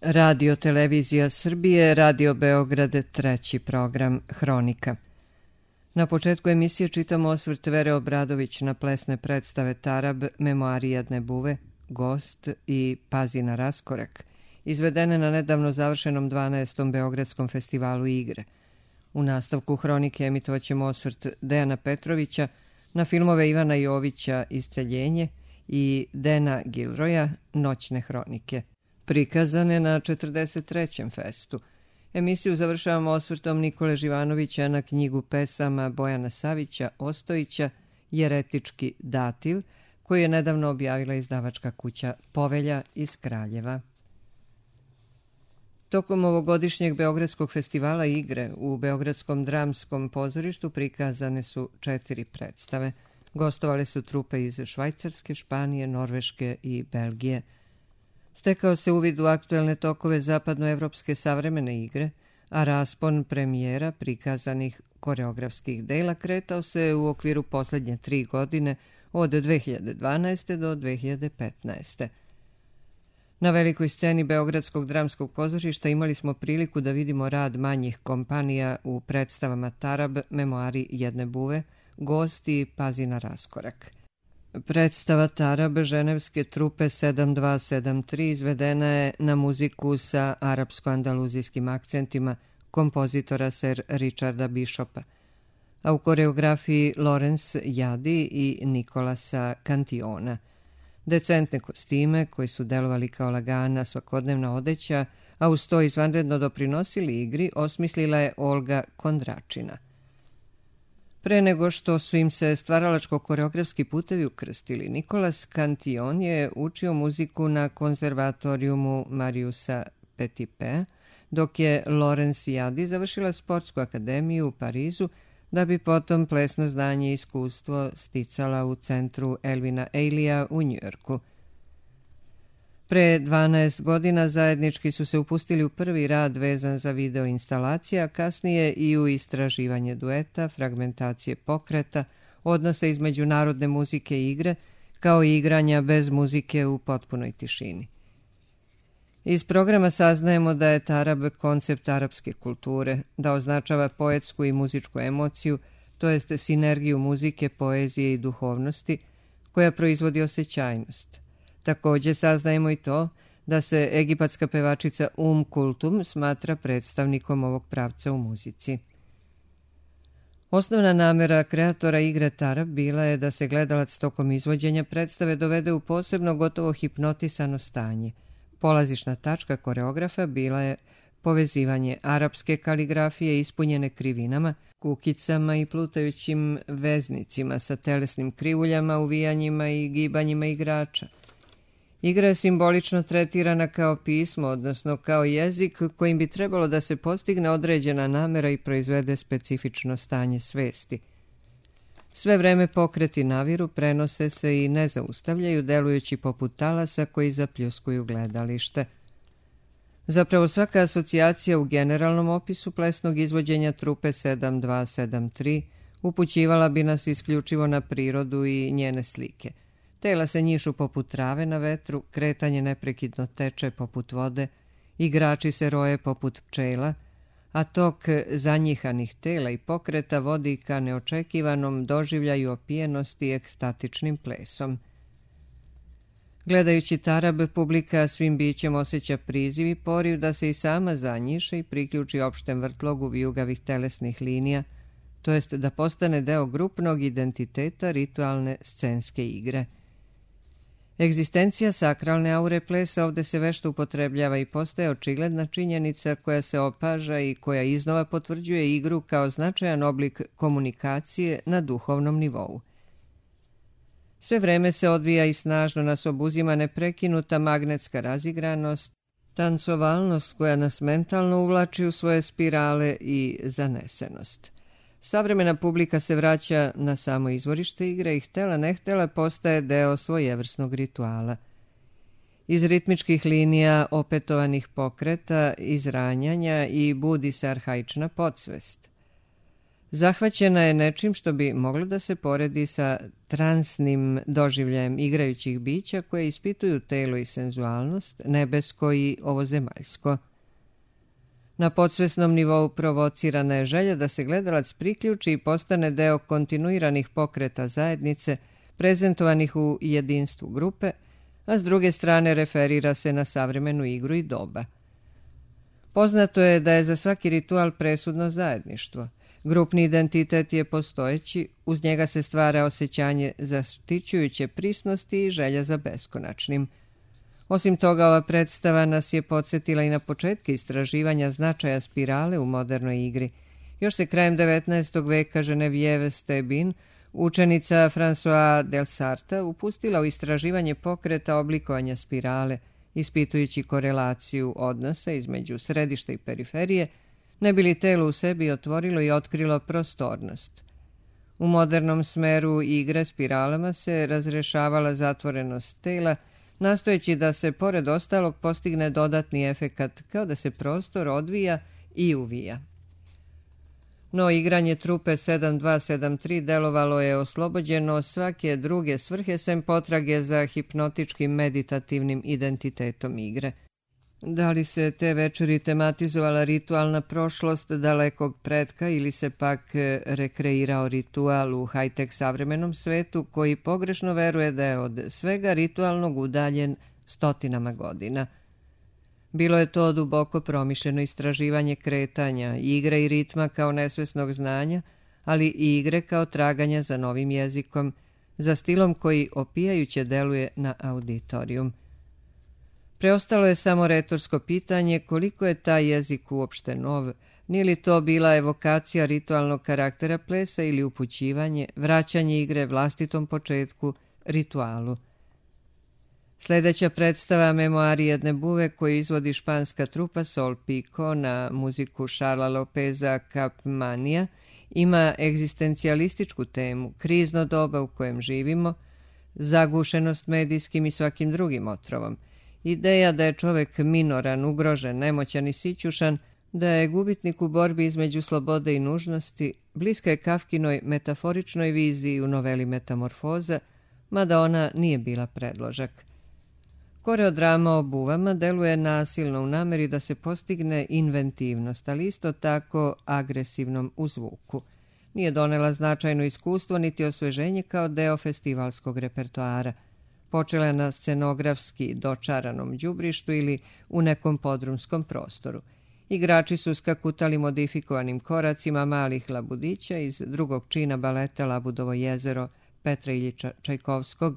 Radio Televizija Srbije, Radio Beograd, treći program Hronika. Na početku emisije čitamo osvrt Vere Obradović na plesne predstave Tarab, Memoari jedne buve, Gost i Pazi na raskorak, izvedene na nedavno završenom 12. Beogradskom festivalu igre. U nastavku Hronike emitovaćemo osvrt Dejana Petrovića na filmove Ivana Jovića Isceljenje i Dena Gilroja Noćne hronike, prikazane na 43. festu. Emisiju završavamo osvrtom Nikole Živanovića na knjigu pesama Bojana Savića Ostojića Jeretički dativ, koju je nedavno objavila izdavačka kuća Povelja iz Kraljeva. Tokom ovogodišnjeg Beogradskog festivala igre u Beogradskom dramskom pozorištu prikazane su 4 predstave. Gostovale su trupe iz Švajcarske, Španije, Norveške i Belgije. Stekao se uvid u aktuelne tokove zapadnoevropske savremene igre, a raspon premijera prikazanih koreografskih dela kretao se u okviru posljednje 3 godine od 2012. do 2015. Na velikoj sceni Beogradskog dramskog pozorišta imali smo priliku da vidimo rad manjih kompanija u predstavama Tarab, Memoari jedne buve, Gost i Pazi na raskorak. Predstava Tarab ženevske trupe 7273 izvedena je na muziku sa arapsko-andaluzijskim akcentima kompozitora Sir Richarda Bishopa, a u koreografiji Lorenz Jadi i Nikolasa Cantiona. Decentne kostime koji su delovali kao lagana svakodnevna odeća, a uz to izvanredno doprinosili igri, osmislila je Olga Kondračina. Pre nego što su im se stvaralačko-koreografski putevi ukrstili, Nikolas Cantion je učio muziku na konzervatorijumu Mariusa Petipa, dok je Lorenz Jadi završila sportsku akademiju u Parizu, da bi potom plesno znanje i iskustvo sticala u centru Elvina Ailija u Njujorku. Pre 12 godina zajednički su se upustili u prvi rad vezan za video instalacije, a kasnije i u istraživanje dueta, fragmentacije pokreta, odnose između narodne muzike i igre, kao i igranja bez muzike u potpunoj tišini. Iz programa saznajemo da je Tarab koncept arapske kulture, da označava poetsku i muzičku emociju, to jest sinergiju muzike, poezije i duhovnosti, koja proizvodi osjećajnost. Također saznajemo i to da se egipatska pevačica Kultum smatra predstavnikom ovog pravca u muzici. Osnovna namera kreatora igre Tarab bila je da se gledalac tokom izvođenja predstave dovede u posebno gotovo hipnotisano stanje. Polazišna tačka koreografa bila je povezivanje arapske kaligrafije ispunjene krivinama, kukicama i plutajućim veznicima sa telesnim krivuljama, uvijanjima i gibanjima igrača. Igra je simbolično tretirana kao pismo, odnosno kao jezik kojim bi trebalo da se postigne određena namera i proizvede specifično stanje svesti. Sve vreme pokreti naviru, prenose se i ne zaustavljaju, delujući poput talasa koji zapljuskuju gledalište. Zapravo svaka asocijacija u generalnom opisu plesnog izvođenja trupe 7273 upućivala bi nas isključivo na prirodu i njene slike. Tela se njišu poput trave na vetru, kretanje neprekidno teče poput vode, igrači se roje poput pčela, a tok zanjihanih tela i pokreta vodi ka neočekivanom doživljaju opijenosti ekstatičnim plesom. Gledajući Tarab, publika svim bićem osjeća priziv i poriv da se i sama zanjiše i priključi opštem vrtlogu vijugavih telesnih linija, to jest da postane deo grupnog identiteta ritualne scenske igre. Egzistencija sakralne aure plesa ovde se vešto upotrebljava i postaje očigledna činjenica koja se opaža i koja iznova potvrđuje igru kao značajan oblik komunikacije na duhovnom nivou. Sve vreme se odvija i snažno nas obuzima neprekinuta magnetska razigranost, tancovalnost koja nas mentalno uvlači u svoje spirale i zanesenost. Savremena publika se vraća na samo izvorište igre i htela ne htela postaje deo svojevrsnog rituala. Iz ritmičkih linija, opetovanih pokreta, izranjanja i budi se arhaična podsvest. Zahvaćena je nečim što bi moglo da se poredi sa transnim doživljajem igrajućih bića koje ispituju telo i senzualnost, nebesko i ovozemaljsko. Na podsvesnom nivou provocirana je želja da se gledalac priključi i postane deo kontinuiranih pokreta zajednice, prezentovanih u jedinstvu grupe, a s druge strane referira se na savremenu igru i doba. Poznato je da je za svaki ritual presudno zajedništvo. Grupni identitet je postojeći, uz njega se stvara osjećanje zaštićujuće prisnosti i želja za beskonačnim. Osim toga, ova predstava nas je podsjetila i na početke istraživanja značaja spirale u modernoj igri. Još se krajem 19. veka Geneviève Stebin, učenica François Delsarta, upustila u istraživanje pokreta oblikovanja spirale, ispitujući korelaciju odnosa između središta i periferije, ne bi li telo u sebi otvorilo i otkrilo prostornost. U modernom smeru igre spiralama se razrešavala zatvorenost tela, nastojeći da se pored ostalog postigne dodatni efekat, kao da se prostor odvija i uvija. No igranje trupe 7273 delovalo je oslobođeno svake druge svrhe sem potrage za hipnotičkim meditativnim identitetom igre. Da li se te večeri tematizovala ritualna prošlost dalekog pretka ili se pak rekreirao ritual u high-tech savremenom svetu koji pogrešno veruje da je od svega ritualnog udaljen stotinama godina. Bilo je to duboko promišljeno istraživanje kretanja, igre i ritma kao nesvesnog znanja, ali i igre kao traganja za novim jezikom, za stilom koji opijajuće deluje na auditorijum. Preostalo je samo retorsko pitanje koliko je taj jezik uopšte nov, nije li to bila evokacija ritualnog karaktera plesa ili upućivanje, vraćanje igre vlastitom početku, ritualu. Sljedeća predstava Memoari jedne buve koju izvodi španska trupa Sol Pico na muziku Šarla Lopeza Capmania ima egzistencijalističku temu, krizno doba u kojem živimo, zagušenost medijskim i svakim drugim otrovom, ideja da je čovek minoran, ugrožen, nemoćan i sićušan, da je gubitnik u borbi između slobode i nužnosti, bliska je Kafkinoj metaforičnoj viziji u noveli Metamorfoza, mada ona nije bila predložak. Koreodrama o buvama deluje nasilno u nameri da se postigne inventivnost, ali isto tako agresivnom u zvuku. Nije donela značajno iskustvo niti osveženje kao deo festivalskog repertoara. Počela je na scenografski dočaranom đubrištu ili u nekom podrumskom prostoru. Igrači su skakutali modifikovanim koracima malih labudića iz drugog čina baleta Labudovo jezero Petra Iljiča Čajkovskog,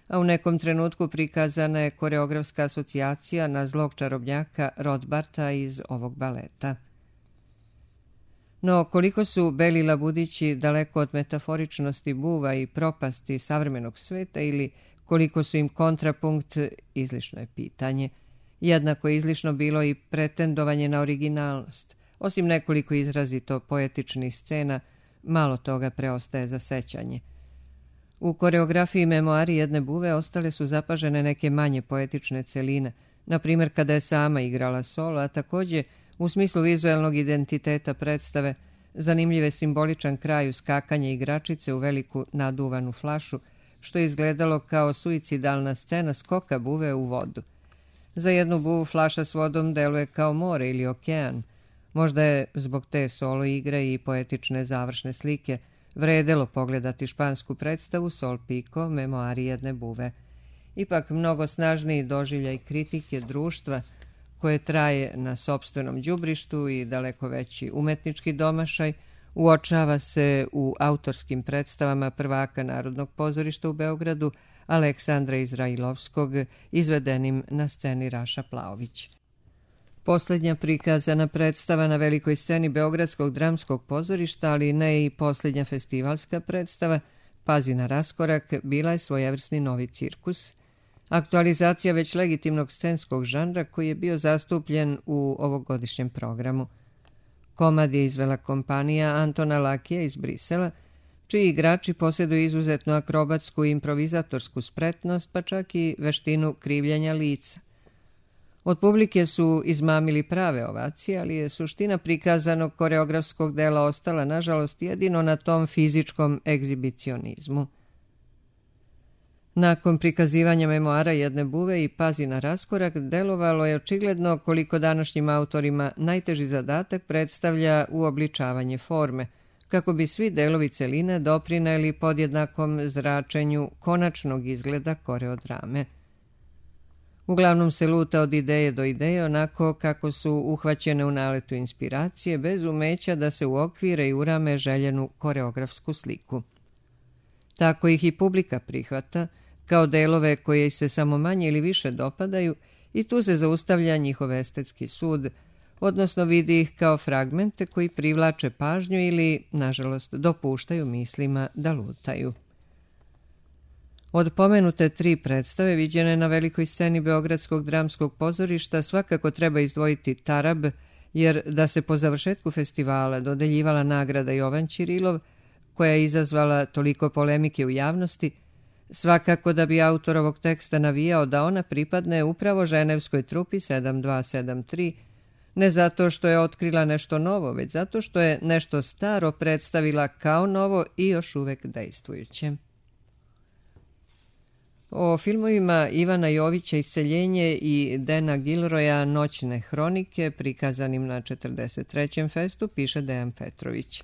a u nekom trenutku prikazana je koreografska asocijacija na zlog čarobnjaka Rodbarta iz ovog baleta. No, koliko su beli labudići daleko od metaforičnosti buva i propasti savremenog sveta ili koliko su im kontrapunkt, izlišno je pitanje. Jednako je izlišno bilo i pretendovanje na originalnost. Osim nekoliko izrazito poetičnih scena, malo toga preostaje za sećanje. U koreografiji Memoari jedne buve ostale su zapažene neke manje poetične celine, na primjer kada je sama igrala solo, a također u smislu vizuelnog identiteta predstave zanimljiv je simboličan kraj uskakanja igračice u veliku naduvanu flašu, što je izgledalo kao suicidalna scena skoka buve u vodu. Za jednu buvu flaša s vodom deluje kao more ili okean. Možda je zbog te solo igre i poetične završne slike vredelo pogledati špansku predstavu Sol Pico, Memoari jedne buve. Ipak mnogo snažniji doživljaj kritike društva koje traje na sopstvenom đubrištu i daleko veći umetnički domašaj uočava se u autorskim predstavama prvaka Narodnog pozorišta u Beogradu Aleksandra Izrailovskog, izvedenim na sceni Raša Plaović. Posljednja prikazana predstava na velikoj sceni Beogradskog dramskog pozorišta, ali ne i posljednja festivalska predstava, Pazi na raskorak, bila je svojevrsni novi cirkus, aktualizacija već legitimnog scenskog žanra koji je bio zastupljen u ovogodišnjem programu. Komad je izvela kompanija Antona Lakija iz Brisela, čiji igrači posjeduju izuzetnu akrobatsku i improvizatorsku spretnost, pa čak i veštinu krivljenja lica. Od publike su izmamili prave ovacije, ali je suština prikazanog koreografskog dela ostala, nažalost, jedino na tom fizičkom egzibicionizmu. Nakon prikazivanja memoara jedne buve i Pazi na raskorak, delovalo je očigledno koliko današnjim autorima najteži zadatak predstavlja uobličavanje forme, kako bi svi delovi celine doprineli podjednakom zračenju konačnog izgleda koreodrame. Uglavnom se luta od ideje do ideje onako kako su uhvaćene u naletu inspiracije, bez umeća da se uokvire i urame željenu koreografsku sliku. Tako ih i publika prihvata, kao delove koje se samo manje ili više dopadaju, i tu se zaustavlja njihov estetski sud, odnosno vidi ih kao fragmente koji privlače pažnju ili, nažalost, dopuštaju mislima da lutaju. Od pomenute 3 predstave viđene na velikoj sceni Beogradskog dramskog pozorišta svakako treba izdvojiti Tarab, jer da se po završetku festivala dodeljivala nagrada Jovan Ćirilov, koja je izazvala toliko polemike u javnosti, svakako da bi autor ovog teksta navijao da ona pripadne upravo ženevskoj trupi 7273, ne zato što je otkrila nešto novo, već zato što je nešto staro predstavila kao novo i još uvek dejstvujuće. O filmovima Ivana Jovića Isceljenje i Dana Gilroya Noćne hronike, prikazanim na 43. festu, piše Dejan Petrović.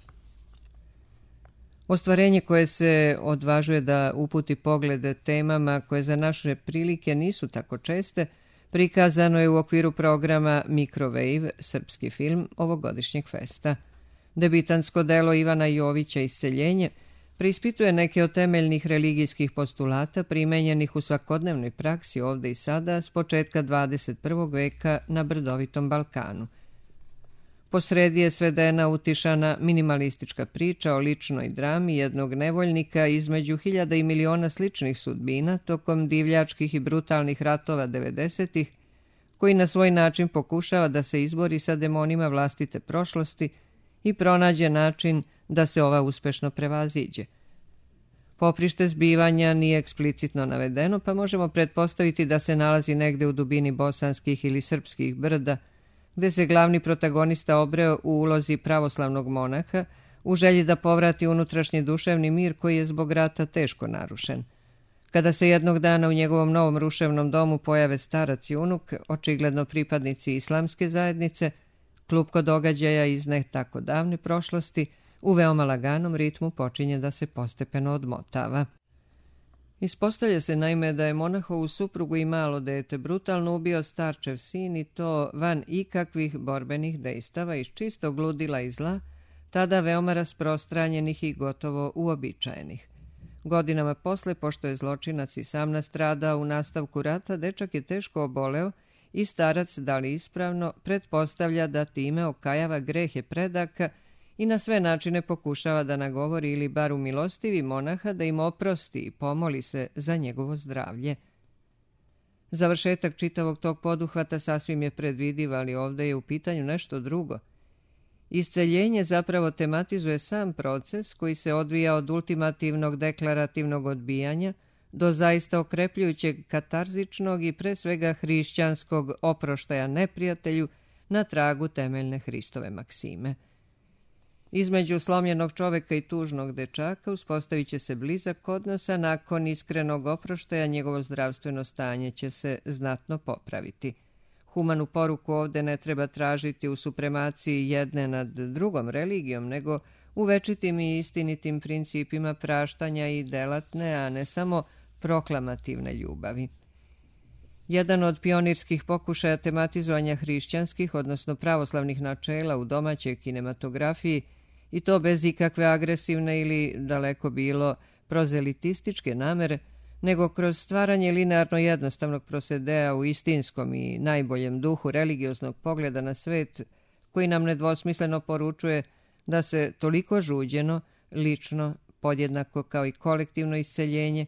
Ostvarenje koje se odvažuje da uputi poglede temama koje za naše prilike nisu tako česte, prikazano je u okviru programa Microwave, srpski film ovogodišnjeg festa. Debitansko delo Ivana Jovića Isceljenje preispituje neke od temeljnih religijskih postulata primenjenih u svakodnevnoj praksi ovde i sada s početka 21. veka na brdovitom Balkanu. Posredi je svedena utišana minimalistička priča o ličnoj drami jednog nevoljnika između hiljada i miliona sličnih sudbina tokom divljačkih i brutalnih ratova 90-ih, koji na svoj način pokušava da se izbori sa demonima vlastite prošlosti i pronađe način da se ova uspešno prevaziđe. Poprište zbivanja nije eksplicitno navedeno, pa možemo pretpostaviti da se nalazi negde u dubini bosanskih ili srpskih brda, gde se glavni protagonista obreo u ulozi pravoslavnog monaha u želji da povrati unutrašnji duševni mir koji je zbog rata teško narušen. Kada se jednog dana u njegovom novom ruševnom domu pojave starac i unuk, očigledno pripadnici islamske zajednice, klupko događaja iz ne tako davne prošlosti u veoma laganom ritmu počinje da se postepeno odmotava. Ispostavlja se naime da je monahovu suprugu i malo dete brutalno ubio starčev sin i to van ikakvih borbenih dejstava iz čistog ludila i zla, tada veoma rasprostranjenih i gotovo uobičajenih. Godinama posle, pošto je zločinac i sam nastradao u nastavku rata, dečak je teško oboleo i starac, da li ispravno, pretpostavlja da time okajava grehe predaka i na sve načine pokušava da nagovori ili bar umilostivi monaha da im oprosti i pomoli se za njegovo zdravlje. Završetak čitavog tog poduhvata sasvim je predvidiv, ali ovdje je u pitanju nešto drugo. Isceljenje zapravo tematizuje sam proces koji se odvija od ultimativnog deklarativnog odbijanja do zaista okrepljujućeg katarzičnog i pre svega hrišćanskog oproštaja neprijatelju na tragu temeljne Hristove maksime. Između slomljenog čoveka i tužnog dečaka uspostavit će se blizak odnos, a nakon iskrenog oproštaja njegovo zdravstveno stanje će se znatno popraviti. Humanu poruku ovde ne treba tražiti u supremaciji jedne nad drugom religijom, nego u večitim i istinitim principima praštanja i delatne, a ne samo proklamativne ljubavi. Jedan od pionirskih pokušaja tematizovanja hrišćanskih, odnosno pravoslavnih načela u domaćoj kinematografiji, i to bez ikakve agresivne ili, daleko bilo, prozelitističke namere, nego kroz stvaranje linearno jednostavnog prosedea u istinskom i najboljem duhu religioznog pogleda na svet, koji nam nedvosmisleno poručuje da se toliko žuđeno, lično, podjednako kao i kolektivno isceljenje,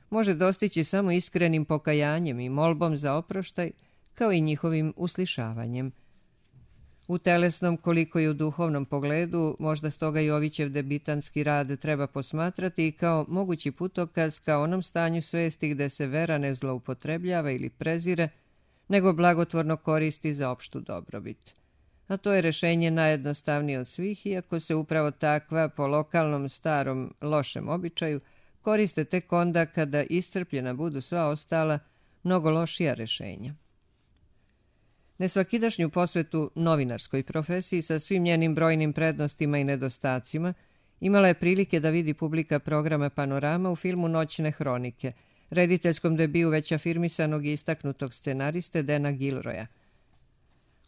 može dostići samo iskrenim pokajanjem i molbom za oproštaj, kao i njihovim uslišavanjem. U telesnom, koliko i u duhovnom pogledu, možda stoga Jovićev debitanski rad treba posmatrati i kao mogući putokaz ka onom stanju svesti gde se vera ne zloupotrebljava ili prezire, nego blagotvorno koristi za opštu dobrobit. A to je rešenje najjednostavnije od svih, iako se upravo takva, po lokalnom starom lošem običaju, koriste tek onda kada iscrpljena budu sva ostala, mnogo lošija rešenja. Nesvakidašnju posvetu novinarskoj profesiji sa svim njenim brojnim prednostima i nedostacima imala je prilike da vidi publika programa Panorama u filmu Noćne hronike, rediteljskom debiju već afirmisanog i istaknutog scenariste Dana Gilroya.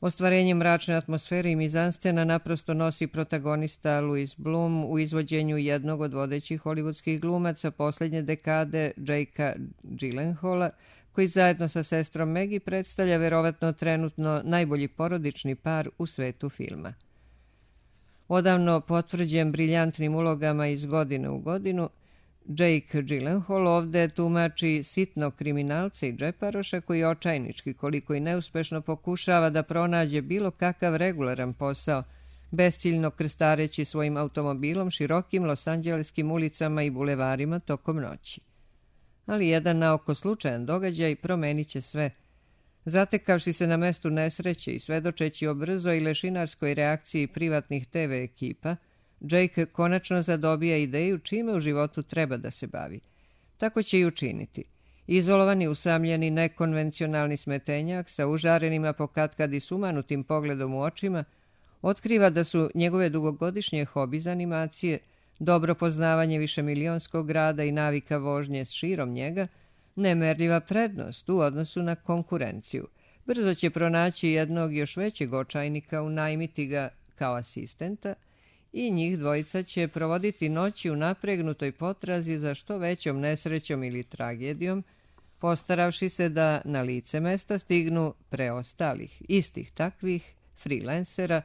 Ostvarenje mračne atmosfere i mizanscena naprosto nosi protagonista Louis Bloom u izvođenju jednog od vodećih hollywoodskih glumaca posljednje dekade, Jakea Gyllenhaala, koji zajedno sa sestrom Maggie predstavlja verovatno trenutno najbolji porodični par u svetu filma. Odavno potvrđen briljantnim ulogama iz godine u godinu, Jake Gyllenhaal ovde tumači sitnog kriminalca i džeparoša koji očajnički, koliko i neuspešno, pokušava da pronađe bilo kakav regularan posao, besciljno krstareći svojim automobilom širokim losanđeleskim ulicama i bulevarima tokom noći. Ali jedan naoko slučajan događaj promenit će sve. Zatekavši se na mestu nesreće i svedočeći o brzoj i lešinarskoj reakciji privatnih TV ekipa, Jake konačno zadobija ideju čime u životu treba da se bavi. Tako će i učiniti. Izolovani, usamljeni, nekonvencionalni smetenjak sa užarenim, a pokatkad i sumanutim pogledom u očima, otkriva da su njegove dugogodišnje hobi za animacije, dobro poznavanje višemilionskog grada i navika vožnje s širom njega, nemerljiva prednost u odnosu na konkurenciju. Brzo će pronaći jednog još većeg očajnika, unajmiti ga kao asistenta i njih dvojica će provoditi noći u napregnutoj potrazi za što većom nesrećom ili tragedijom, postaravši se da na lice mesta stignu preostalih, istih takvih freelancera,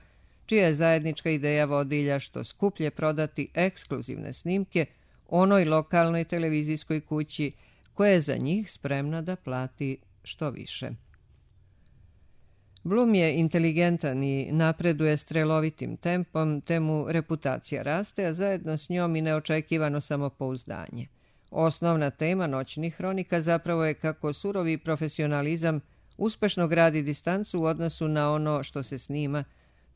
čija je zajednička ideja vodilja što skuplje prodati ekskluzivne snimke onoj lokalnoj televizijskoj kući koja je za njih spremna da plati što više. Bloom je inteligentan i napreduje strelovitim tempom, te mu reputacija raste, a zajedno s njom i neočekivano samopouzdanje. Osnovna tema Noćnih hronika zapravo je kako surovi profesionalizam uspešno gradi distancu u odnosu na ono što se snima,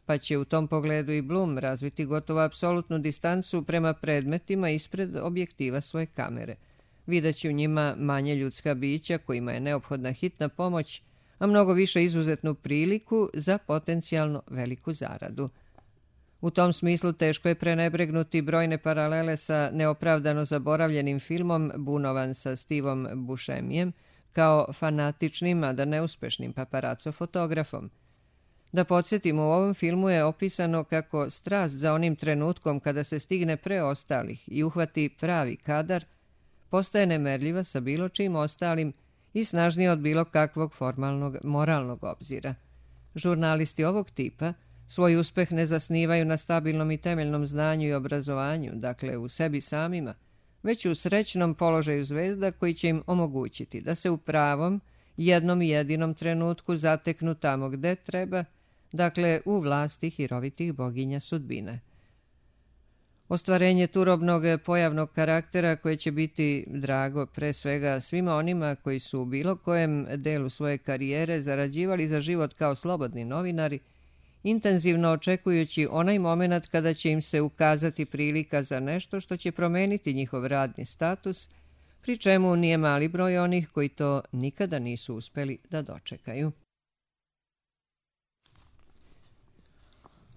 pa će u tom pogledu i Bloom razviti gotovo apsolutnu distancu prema predmetima ispred objektiva svoje kamere. Videći u njima manje ljudska bića kojima je neophodna hitna pomoć, a mnogo više izuzetnu priliku za potencijalno veliku zaradu. U tom smislu teško je prenebregnuti brojne paralele sa neopravdano zaboravljenim filmom Bunovan sa Stevom Buscemijem kao fanatičnim, a da neuspešnim paparaco fotografom. Da podsjetimo, u ovom filmu je opisano kako strast za onim trenutkom kada se stigne preostalih i uhvati pravi kadar, postaje nemerljiva sa bilo čim ostalim i snažnije od bilo kakvog formalnog moralnog obzira. Žurnalisti ovog tipa svoj uspeh ne zasnivaju na stabilnom i temeljnom znanju i obrazovanju, dakle u sebi samima, već u srećnom položaju zvezda koji će im omogućiti da se u pravom, jednom i jedinom trenutku zateknu tamo gde treba, dakle u vlasti hirovitih boginja sudbine. Ostvarenje turobnog pojavnog karaktera koje će biti drago pre svega svima onima koji su u bilo kojem delu svoje karijere zarađivali za život kao slobodni novinari, intenzivno očekujući onaj moment kada će im se ukazati prilika za nešto što će promeniti njihov radni status, pri čemu nije mali broj onih koji to nikada nisu uspeli da dočekaju.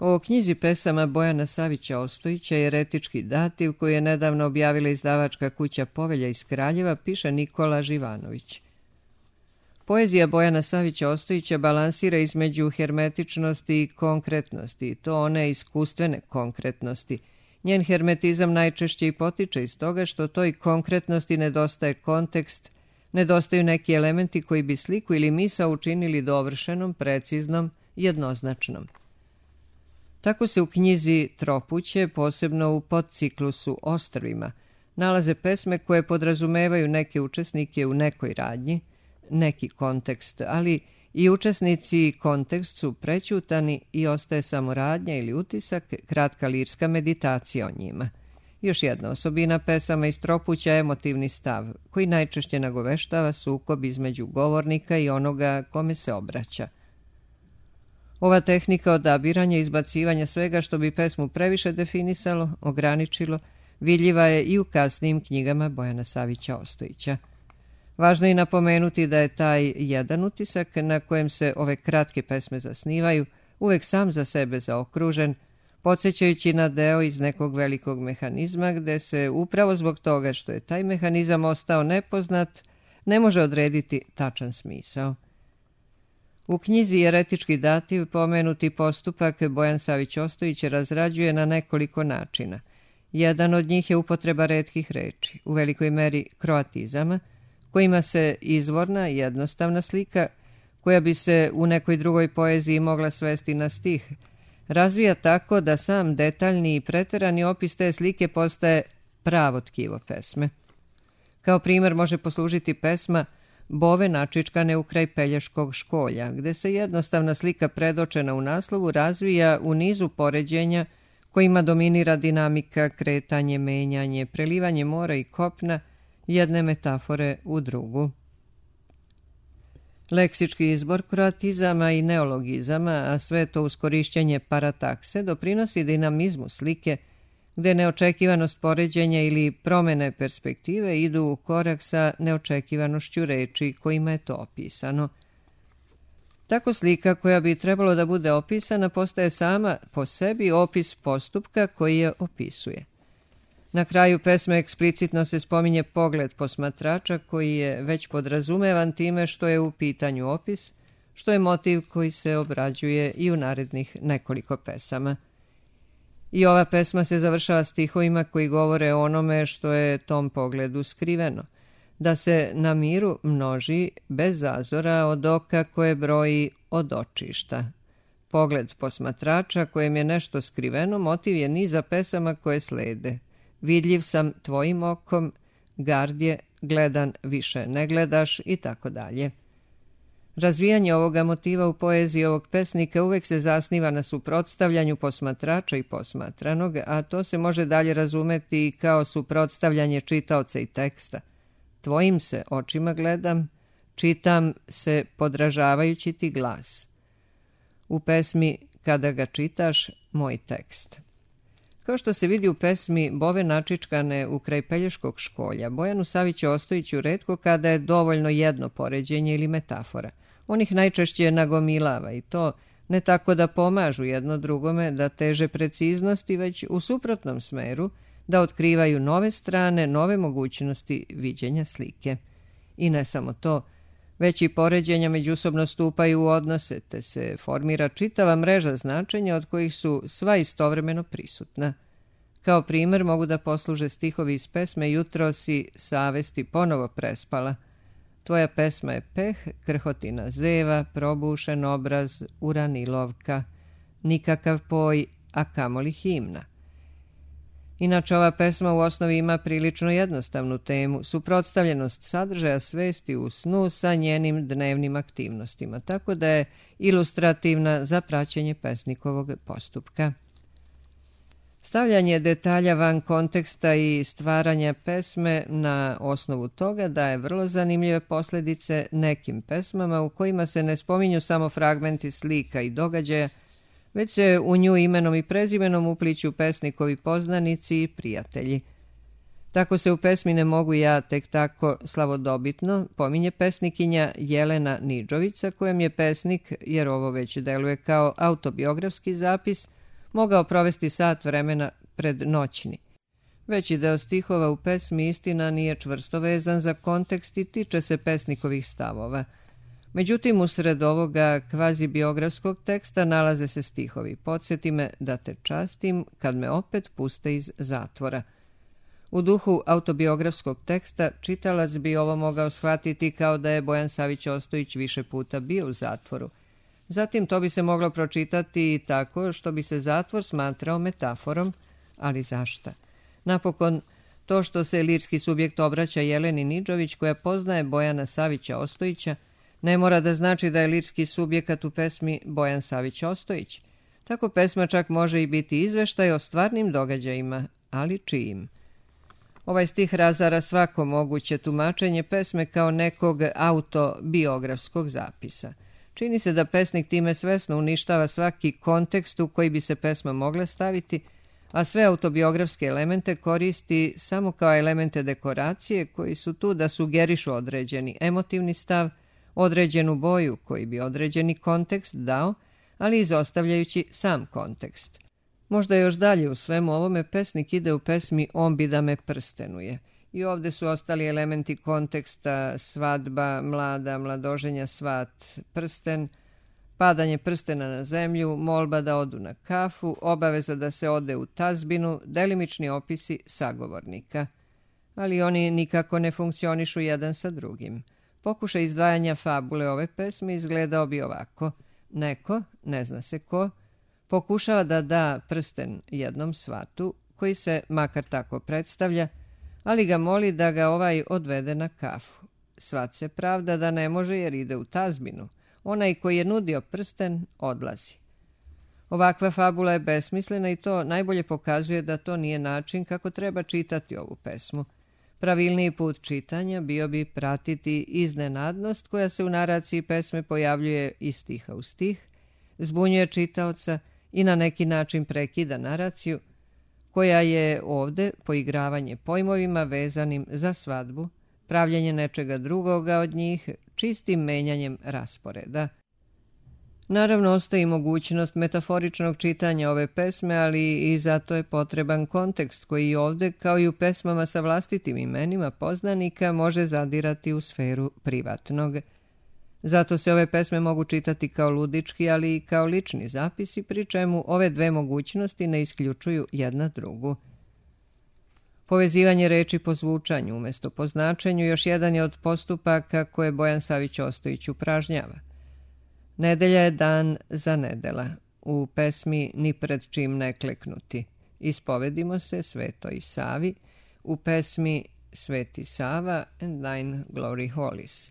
O knjizi pesama Bojana Savića Ostojića Eretički dativ, koju je nedavno objavila izdavačka kuća Povelja iz Kraljeva, piše Nikola Živanović. Poezija Bojana Savića Ostojića balansira između hermetičnosti i konkretnosti, to one iskustvene konkretnosti. Njen hermetizam najčešće i potiče iz toga što toj konkretnosti nedostaje kontekst, nedostaju neki elementi koji bi sliku ili misao učinili dovršenom, preciznom, jednoznačnom. Tako se u knjizi Tropuće, posebno u podciklusu Ostrvima, nalaze pesme koje podrazumevaju neke učesnike u nekoj radnji, neki kontekst, ali i učesnici i kontekst su prećutani i ostaje samo radnja ili utisak, kratka lirska meditacija o njima. Još jedna osobina pesama iz Tropuća je emotivni stav, koji najčešće nagoveštava sukob između govornika i onoga kome se obraća. Ova tehnika odabiranja i izbacivanja svega što bi pesmu previše definisalo, ograničilo, vidljiva je i u kasnijim knjigama Bojana Savića Ostojića. Važno je napomenuti da je taj jedan utisak na kojem se ove kratke pesme zasnivaju uvek sam za sebe zaokružen, podsjećajući na deo iz nekog velikog mehanizma gde se upravo zbog toga što je taj mehanizam ostao nepoznat, ne može odrediti tačan smisao. U knjizi Jeretički dativ pomenuti postupak Bojan Savić Ostojić razrađuje na nekoliko načina. Jedan od njih je upotreba retkih reči, u velikoj meri kroatizama, kojima se izvorna i jednostavna slika, koja bi se u nekoj drugoj poeziji mogla svesti na stih, razvija tako da sam detaljni i preterani opis te slike postaje pravo tkivo pesme. Kao primjer može poslužiti pesma Bove načičkane u kraj Pelješkog školja, gde se jednostavna slika predočena u naslovu razvija u nizu poređenja kojima dominira dinamika, kretanje, menjanje, prelivanje mora i kopna, jedne metafore u drugu. Leksički izbor kroatizama i neologizama, a sve to uz korišćenje paratakse, doprinosi dinamizmu slike, gde neočekivanost poređenja ili promene perspektive idu u korak sa neočekivanošću reči kojima je to opisano. Tako slika koja bi trebalo da bude opisana postaje sama po sebi opis postupka koji je opisuje. Na kraju pesme eksplicitno se spominje pogled posmatrača koji je već podrazumevan time što je u pitanju opis, što je motiv koji se obrađuje i u narednih nekoliko pesama. I ova pesma se završava stihovima koji govore o onome što je tom pogledu skriveno, da se na miru množi bez zazora od oka koje broji od očišta. Pogled posmatrača kojem je nešto skriveno motiv je niza pesama koje slede. Vidljiv sam tvojim okom, gardje, gledan više ne gledaš i tako dalje. Razvijanje ovoga motiva u poeziji ovog pesnika uvek se zasniva na suprotstavljanju posmatrača i posmatranog, a to se može dalje razumeti i kao suprotstavljanje čitaoca i teksta. Tvojim se očima gledam, čitam se podražavajući ti glas. U pesmi Kada ga čitaš, moj tekst. Kao što se vidi u pesmi Bove načičkane u kraj Pelješkog školja, Bojanu Saviću Ostojiću retko kada je dovoljno jedno poređenje ili metafora. On ih najčešće nagomilava i to ne tako da pomažu jedno drugome, da teže preciznosti, već u suprotnom smeru, da otkrivaju nove strane, nove mogućnosti viđenja slike. I ne samo to, već i poređenja međusobno stupaju u odnose, te se formira čitava mreža značenja od kojih su sva istovremeno prisutna. Kao primjer mogu da posluže stihovi iz pesme Jutro si savesti ponovo prespala. Tvoja pesma je peh, krhotina zeva, probušen obraz, uranilovka, nikakav poj, a kamoli himna. Inače, ova pesma u osnovi ima prilično jednostavnu temu, suprotstavljenost sadržaja svesti u snu sa njenim dnevnim aktivnostima, tako da je ilustrativna za praćenje pesnikovog postupka. Stavljanje detalja van konteksta i stvaranja pesme na osnovu toga daje vrlo zanimljive posljedice nekim pesmama u kojima se ne spominju samo fragmenti slika i događaja, već se u nju imenom i prezimenom upliću pesnikovi poznanici i prijatelji. Tako se u pesmi Ne mogu ja tek tako slavodobitno pominje pesnikinja Jelena Nidžovica, kojem je pesnik, jer ovo već deluje kao autobiografski zapis, mogao provesti sat vremena pred noćni. Veći deo stihova u pesmi istina nije čvrsto vezan za kontekst i tiče se pesnikovih stavova. Međutim, usred ovoga kvazibiografskog teksta nalaze se stihovi Podsjeti me da te častim kad me opet puste iz zatvora. U duhu autobiografskog teksta čitalac bi ovo mogao shvatiti kao da je Bojan Savić Ostojić više puta bio u zatvoru. Zatim to bi se moglo pročitati i tako što bi se zatvor smatrao metaforom, ali zašta? Napokon, to što se lirski subjekt obraća Jeleni Nidžović, koja poznaje Bojana Savića Ostojića, ne mora da znači da je lirski subjekat u pesmi Bojan Savić Ostojić. Tako pesma čak može i biti izveštaj o stvarnim događajima, ali čijim. Ovaj stih razara svako moguće tumačenje pesme kao nekog autobiografskog zapisa. Čini se da pesnik time svesno uništava svaki kontekst u koji bi se pesma mogla staviti, a sve autobiografske elemente koristi samo kao elemente dekoracije koji su tu da sugerišu određeni emotivni stav, određenu boju koji bi određeni kontekst dao, ali izostavljajući sam kontekst. Možda još dalje u svemu ovome pesnik ide u pesmi On bi da me prstenuje. I ovde su ostali elementi konteksta: svadba, mlada, mladoženja, svat, prsten, padanje prstena na zemlju, molba da odu na kafu, obaveza da se ode u tazbinu, delimični opisi sagovornika. Ali oni nikako ne funkcionišu jedan sa drugim. Pokušaj izdvajanja fabule ove pesme izgledao bi ovako. Neko, ne zna se ko, pokušava da da prsten jednom svatu, koji se makar tako predstavlja, ali ga moli da ga ovaj odvede na kafu. Svat se pravda da ne može jer ide u tazbinu. Onaj koji je nudio prsten odlazi. Ovakva fabula je besmislena i to najbolje pokazuje da to nije način kako treba čitati ovu pesmu. Pravilniji put čitanja bio bi pratiti iznenadnost koja se u naraciji pesme pojavljuje iz stiha u stih, zbunjuje čitaoca i na neki način prekida naraciju, koja je ovde poigravanje pojmovima vezanim za svadbu, pravljenje nečega drugoga od njih, čistim menjanjem rasporeda. Naravno, ostaje mogućnost metaforičnog čitanja ove pesme, ali i zato je potreban kontekst koji ovde, kao i u pesmama sa vlastitim imenima poznanika, može zadirati u sferu privatnog. Zato se ove pesme mogu čitati kao ludički, ali i kao lični zapisi, pri čemu ove dve mogućnosti ne isključuju jedna drugu. Povezivanje reči po zvučanju umjesto po značenju još jedan je od postupaka koje Bojan Savić Ostojić upražnjava. Nedelja je dan za nedela. U pesmi Ni pred čim ne kleknuti. Ispovedimo se Svetoj Savi. U pesmi Sveti Sava and Thine Glory Holies.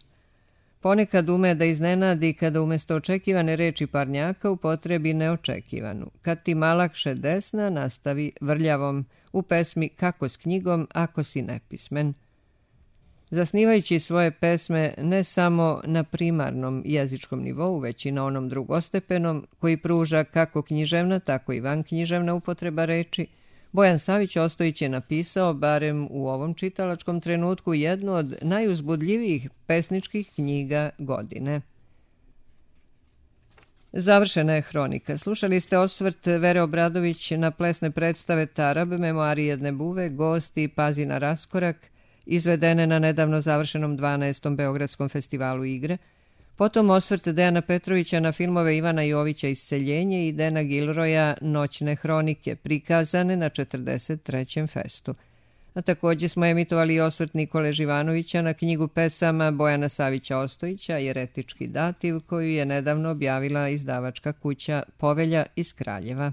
Ponekad ume da iznenadi kada umjesto očekivane reči parnjaka upotrebi neočekivanu. Kad ti malakše desna nastavi vrljavom u pesmi Kako s knjigom ako si nepismen. Zasnivajući svoje pesme ne samo na primarnom jezičkom nivou, već i na onom drugostepenom, koji pruža kako književna, tako i vanknjiževna upotreba reči, Bojan Savić Ostojić je napisao, barem u ovom čitalačkom trenutku, jednu od najuzbudljivijih pesničkih knjiga godine. Završena je hronika. Slušali ste osvrt Vere Obradović na plesne predstave Tarab, Memoari jedne buve, Gosti, Pazi na raskorak, izvedene na nedavno završenom 12. Beogradskom festivalu igre, potom osvrt Dejana Petrovića na filmove Ivana Jovića Isceljenje i Dena Gilroja Noćne hronike, prikazane na 43. festu. A također smo emitovali i osvrt Nikole Živanovića na knjigu pesama Bojana Savića Ostojića Jeretički dativ, koju je nedavno objavila izdavačka kuća Povelja iz Kraljeva.